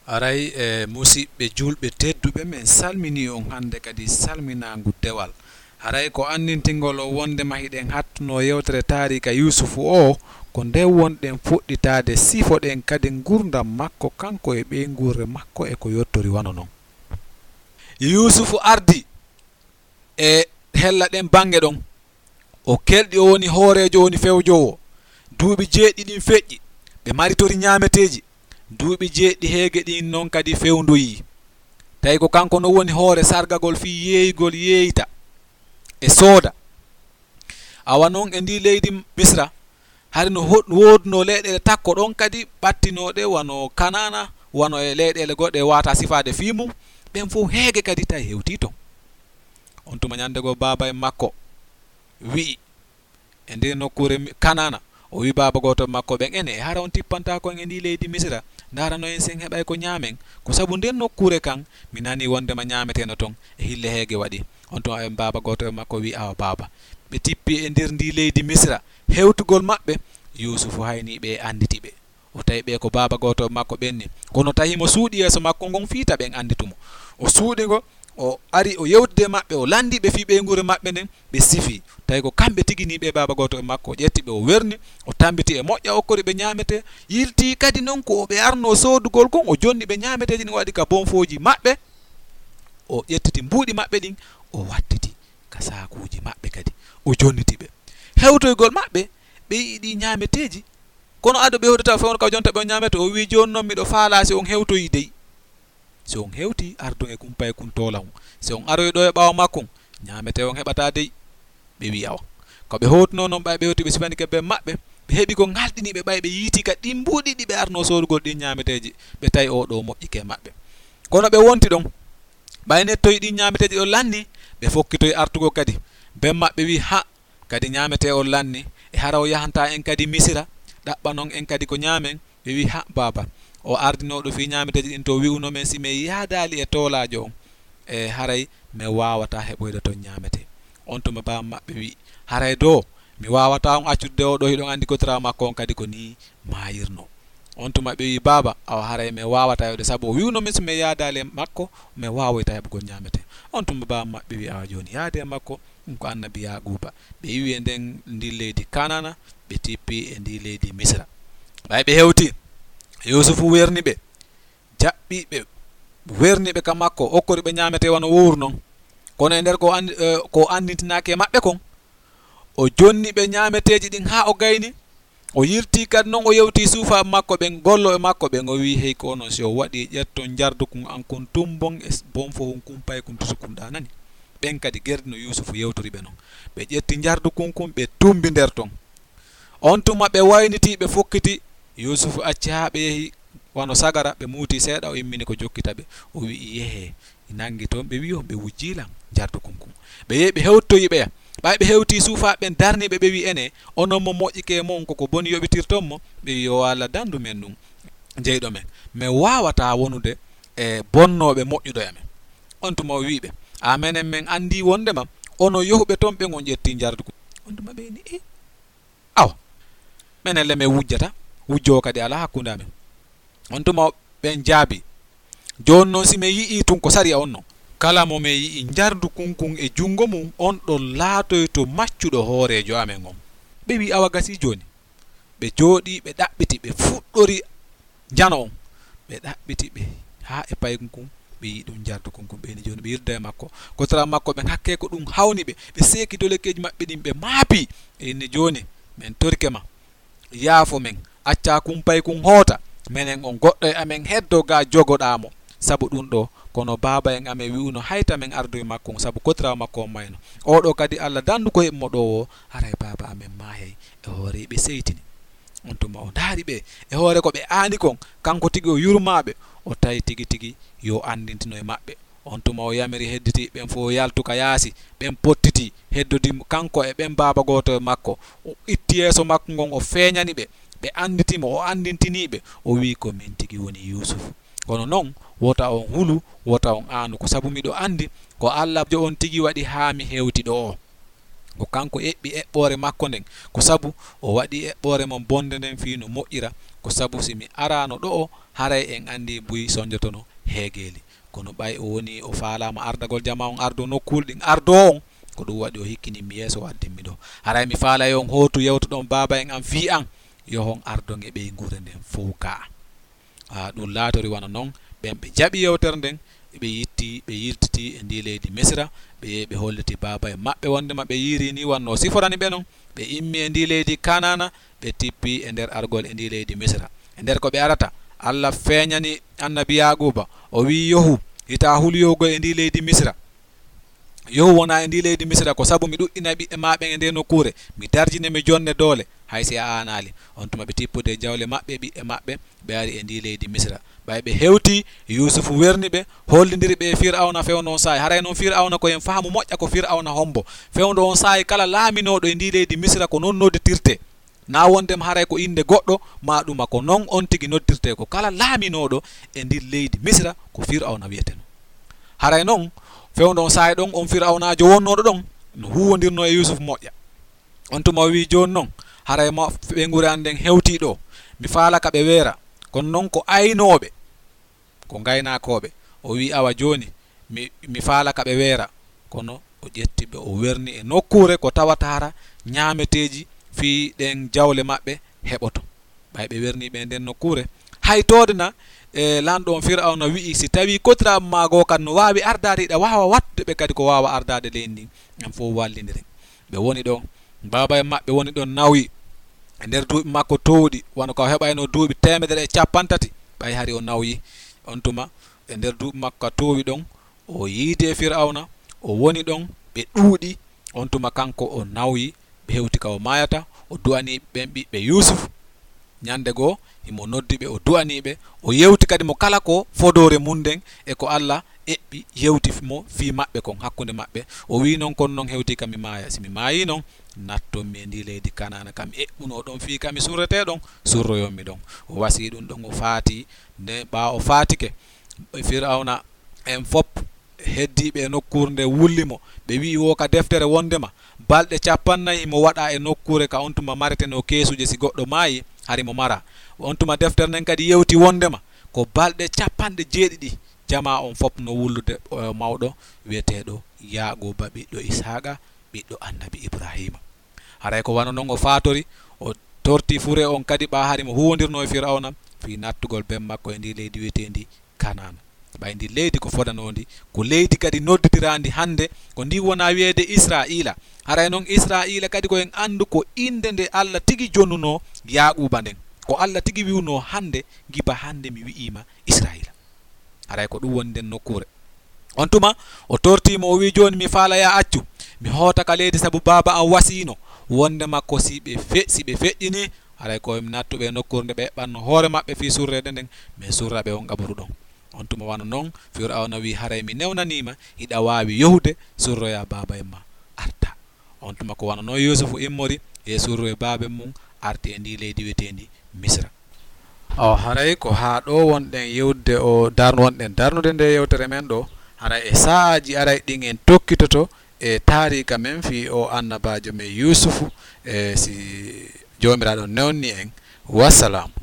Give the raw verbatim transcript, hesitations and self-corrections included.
Aray, e, musiɓɓe julɓe tedduɓe, men salminii on hannde kadi salminaangu dewal. Haray ko anndintingol on wonndema hiɗen hattunoo yewtere taariika Yuusufu oo, ko nde wonɗen fuɗɗitaade, sifoɗen kadi nguurndam makko, kanko e ɓeynguure makko e ko yottori wano non. Yuusufu ardii e hella ɗen bannge ɗon. O kelɗi, o woni hooreejo, o woni fewjoowo. Duuɓi jeeɗiɗi ɗin feƴƴi, ɓe maritori ñaameteeji. Duuɓi jeeɗiɗi heege ɗin non kadi fewndoyii. Tawi ko kanko no woni hoore sargagol fii yeeyugol yeeyita e sooda. Awa non e ndii leydi Misra, hari no ho-, woodunoo leyɗeele takko ɗon kadi ɓattinooɗe wano Kanaana, wano e leyɗeele goɗɗe waata sifaade fii mum, ɓen fow heege kadi tawi hewtii ton. On tuma ñannde goo baaba e makko wi'i, e nder nokkuure mi-, Kanaana, o wi'i baaba gooto makko ɓen, "Ene, e hara on tippantaako en e ndii leydi Misira, ndaarano en si en heɓay ko ñaamen? Ko sabu nder nokkuure kan, mi nanii wonndema ñaameteno ton, e hille heege waɗi." On tuma ɓen baaba gooto e makko wi'i, "Awa baaba, ɓe tippi e nder ndii leydi Misira, hewtugol maɓɓe, Yuusufu haynii ɓe, annditi ɓe." O tawi ɓe ko baaba gooto makko ɓen ni. Kono tawi mo suuɗi yeeso makko ngon fii ta ɓen annditu mo. O suuɗi ngo, o ari, o yewtidi e maɓɓe, o lanndii ɓe fii ɓeynguure maɓɓe nden, ɓe sifii. Tawi ko kamɓe tigi nii ɓe baaba gooto e makko. O ƴetti ɓe, o werni, o tammbiti e moƴƴa, okkori ɓe ñaametee. Yiltii kadi non ko ɓe arnoo soodugol kon, o jonni ɓe ñaameteeji ɗin, o waɗi ka bonfooji maɓɓe. O ƴettiti mbuuɗi maɓɓe ɗin, o wattiti ka saakuuji maɓɓe kadi. O jonniti ɓe. Hewtoygol maɓɓe, ɓe yi'i ɗi ñaameteeji. Kono ado ɓe hewtata fewndo ka jonta ɓe on ñaamete, o wi'i, "Jooni non miɗo faalaa si on hewtoyii dey. Si on hewtii, ardon e kumpay kun toola on. Si on aroyi ɗoo e ɓaawo makkun, ñaametee on heɓataa dey." Ɓe wi'i, "Awa." Ko ɓe hewtunoo non, ɓay ɓe hewti ɓe sifani ka ben maɓɓe, ɓe heɓi ko ŋalɗini ɓe, ɓay ɓe yiiti ka ɗin mbuuɗi ɗi ɓe arnoo soodugol ɗin ñaameteeji, ɓe tawi oo ɗoo moƴƴike e maɓɓe. Kono ɓe wonti ɗon, ɓay nettoyi ɗin ñaameteeji ɗon lanni, ɓe fokkitoyi artugol kadi. Ben maɓɓe wi'i, "Ha, kadi ñaametee on lanni, e hara o yahantaa en kadi Misira, ɗaɓɓanon en kadi ko ñaamen?" Ɓe wi'i, "Ha, baaba, o ardinooɗo fii ñaameteeji ɗin to wi'uno men si men yaadaali e toolaajo on, e haray men waawataa heɓoyde ton ñaametee." On tuma baaba maɓɓe wi'i, "Haray doo, mi waawataa on accude oo ɗoo, hiɗon anndi kotiraa makko on kadi ko nii maayirnoo." On tuma ɓe wi'i, "Baaba, awa haray men waawataa yeewde, sabu o wi'uno men si men yaadaali e makko, men waawoytaa heɓugol ñaametee." On tuma baaba maɓɓe wi'i, "Awa jooni, yaadee e makko, ɗun ko annabi Yaaquuba." Ɓe iwi e nden, ndin leydi Kanaana, ɓe tippi e ndin leydi Misira. Ɓay ɓe hewtii, Yuusufu werni ɓe, jaɓɓi ɓe, werni ɓe ka makko, okkori ɓe ñaametee wano wowru non. Kono e nder ko anndi-, eh, ko anndintinaaki e maɓɓe kon, o jonni ɓe ñaameteeji ɗin haa o gayni. O yiltii kadi non, o yewtii suufaaɓe makko ɓen, gollooɓe makko ɓen, o wi'i, "Hey, ko onon, si on waɗii, ƴetton njardukun an kun, tumbon e s-, bonfohun kun, paykun, tusukun ɗaa, nani?" Ɓen kadi gerdino Yuusufu yewtori ɓe non. Ɓe ƴetti njardukun kun, ɓe tumbi nder ton. On tuma ɓe waynitii, ɓe fokkitii. Yuusufu acci haa ɓe yehi wano sagara, ɓe muutii seeɗa, o immini ko jokkita ɓe. O wi'i, "Yehee." Nanngi ton, ɓe wi'i on ɓe wujjii lan njardukun kun. Ɓe yehi, ɓe hewtoyi ɓeya. Ɓay ɓe hewtii suufaaɓe ɓen darnii ɓe, ɓe wi'i, "Ene, onon mo moƴƴike e mon, ko ko boni yoɓitirton mo?" Ɓe wi'i, "Yo Allah dandu men ɗun, jeyɗo men. Men waawataa wonude e bonnooɓe moƴƴuɗo e amen." On tuma o wi'i ɓe, "A menen men anndii wonndema onon yohuɓe ton ɓen on ƴettii njardukun." On tuma ɓe inni, "E, awa, menen le men wujjata, wujjoowo kadi alaa hakkunde amen." On tuma ɓen jaabii, "Jooni non, si men yi'ii tun ko sariya on non, kala mo men yi'i njardukun kun e junngo mun, on ɗon laatoyto maccuɗo hooreejo amen on." Ɓe wi'i, "Awa gasii jooni." Ɓe jooɗii, ɓe ɗaɓɓiti, ɓe fuɗɗori njano on. Ɓe ɗaɓɓiti ɓe haa e paykun kun, ɓe yi'i ɗun njardukun kun, ɓe inni, "Jooni ɓe yilda e makko." Kotiraa makko ɓen hakkee ko ɗun hawni ɓe, ɓe seeki dolekeeji maɓɓe ɗin, ɓe maapi. Ɓe inni, "Jooni men torike ma, yaafo men, accaa kun paykun hoota, menen on goɗɗo e amen heddoo gaa jogoɗaa mo. Sabu ɗun ɗoo, kono baaba en amen wi'uno hay ta men ardoy makko on, sabu kotiraa makko on mayno. Oo ɗoo kadi Alla dandu ko heɓi mo ɗoo woo, haray baaba amen maayay." E hoore ɓe seytini. On tuma o ndaari ɓe e hoore ko ɓe aani kon, kanko tigi o yurmaa ɓe, o tawi tigi tigi yo anndintino e maɓɓe. On tuma o yamiri hedditiiɓe ɓen fow yaltu ka yaasi, ɓen pottitii, heddodii kanko e ɓen baaba gooto e makko. O itti yeeso makko ngon, o feeñani ɓe, ɓe annditi mo, o anndintinii ɓe, o wi'i, "Ko min tigi woni Yuusufu. Kono non, wota on hulu, wota on aanu, ko sabu miɗo anndi ko Alla jo on tigi waɗi haa mi hewti ɗoo." Ko kanko eɓɓi eɓɓoore makko nden, ko sabu o waɗi eɓɓoore mon bonde nden fii no moƴƴira. Ko sabu si mi araano ɗo'o, haray en anndii buy sonjotono heegeeli. Kono ɓay o woni o faalaama ardagol jamaa on ardoo nokkuuli ɗin ardoo on, ko ɗum waɗi o hikkini mi yeeso o addin mi ɗoo. Haray mi faalay on hootu yewtoɗon baaba en an fii an, yo on ardon e ɓeynguure nden fow kaa. Haa ɗum laatori wano non, ɓen ɓe jaɓi yewtere nden, ɓe yitti, ɓe yiltiti e ndii leydi Misira, ɓe yehi ɓe holliti baaba e maɓɓe wondema ɓe yiiri ni wanno siforani ɓe non. Ɓe immi e ndii leydi Kanaana, ɓe tippi e nder argol e ndii leydi Misira. E nder ko ɓe arata, Alla feeñani annabi Yaaquuba, o wi'i, "Yohu, hita huliyowgol e ndii leydi Misira. Yohu wona e ndii leydi Misira, ko sabu mi ɗuɗɗinay ɓiɓɓe maa ɓen e ndee nokkuure, mi darjine, mi jonne doole, hay si a aanaali." On tuma ɓe tippude jawle maɓɓe, ɓiɓɓe maɓɓe, ɓe ari e ndii leydi Misira. Ɓay ɓe hewti, Yuusufu werni ɓe, hollindiri ɓe e Fir'awna fewndo on saa'i. Haray non Fir'awna ko en faamu moƴƴa ko Fir'awna hombo. Fewndo on saa'i kala laaminooɗo e ndii leydi Misira ko non nodditirtee. Naa wondema haray ko innde goɗɗo maa ɗuma, ko non on tigi noddirtee. Ko kala laaminooɗo e ndin leydi Misira ko Fir'awna wi'eteno. Haray non fewndo on saa'i ɗon on Fir'awnaajo wonnooɗo ɗon no huuwondirnoo e Yuusufu moƴƴa. On tuma o wi'i, "Jooni non, haray ma ɓeynguure an nden hewtii ɗoo. Mi faala ka ɓe weera. Kono non ko aynooɓe, ko ngaynaakooɓe." O wi'i, "Awa jooni, mi, mi faala ka ɓe weera." Kono o ƴetti ɓe, o werni e nokkuure ko tawata hara ñaameteeji fii ɗen jawle maɓɓe heɓoto. Ɓay ɓe werni ɓe nden nokkuure, hay toode na, e lanɗo on Fir'awna wi'i, "Si tawii kotiraaɓe maa goo kan no waawi ardaade, hiɗa waawa wattude ɓe kadi ko waawa ardaade leydi ndin, en fow wallindiren." Ɓe woni ɗon, baaba en maɓɓe woni ɗon nawyi e nder duuɓi makko toowɗi, wano ka o heɓayno duuɓi teemedere e cappanɗe tati, ɓay hari o nawyi. On tuma, e nder duuɓi makko ka toowi ɗon, o yiidi e Fir'awna, o woni ɗon, ɓe ɗuuɗi. On tuma kanko o nawyi, ɓe hewti ka o maayata, o du'anii ɓen ɓiɓɓe Yuusuf. Ñande goo, himo noddi ɓe, o du'anii ɓe, o yewti kadi mo kala ko fodoore mun nden e ko Alla eɓɓi yewti mo fii maɓɓe kon hakkunde maɓɓe. O wi'i non, "Kono non hewtii ka mi maaya. Si mi maayii non, natton mi e ndii leydi Kanaana ka mi eɓɓunoo ɗon fii ka mi surretee ɗon, surroyon mi ɗon." O wasii ɗum ɗon, o faatii. Nde ɓaawo o faatike, Fir'awna en fop heddiiɓe e nokkuure nde wulli mo. Ɓe wi'i woo ka deftere wondema balɗe cappannayi himo waɗa e nokkuure ka on tuma maretenoo keesuuje si goɗɗo maayi, hari mo mara. On tuma deftere nden kadi yewti wondema ko balɗe capanɗe jeeɗiɗi jamaa on fop no wullude, eh, mawɗo wi'eteeɗo Yaaquuba ɓiɗɗo Ishaaqa, ɓiɗɗo annabi Ibraahiima. Haray ko wano non o faatori, o torti fure on kadi ɓaa hari mo huwondirnoo e Fir'awna fii nattugol ben makko e ndii leydi wi'eteendi Kanaana. Ɓay ndi leydi ko fodanoondi, ko leydi kadi nodditiraandi hannde, ko ndi wona wi'eede Israa'iila. Haray non Israa'iila kadi ko en anndu ko innde nde Alla tigi jonnunoo Yaaquuba nden. Ko Alla tigi wi'unoo hannde, ngiba hannde mi wi'iima Israa'iila. Haray ko ɗum woni nden nokkuure. On tuma o tortii mo, o wi'i, "Jooni mi faala yaa accu mi hoota ka leydi, sabu baaba an wasiino wondema ko si ɓe fe-, si ɓe feƴƴinii, haray ko mi nattuɓe e nokkuure nde ɓe eɓɓanno hoore maɓɓe fii surreede nden, min surra ɓe on qaburu ɗon." On tuma wano non Fir'awna wi'i, "Haray mi newnaniima, hiɗa waawi yahude surroyaa baaba en maa, arta." On tuma ko wano non Yuusufu immori e surroye baaben mum, arti e ndii leydi wi'eteendi Misra. Awa haray ko haa ɗoo wonɗen yewtude o darn-, wonɗen darnude nde yewtere men ɗoo. Haray e saa'aaji aray ɗin en tokkitoto e taariika men fii o annabaajo men Yuusufu, e si Joomiraaɗo newni en. Wassalaamu.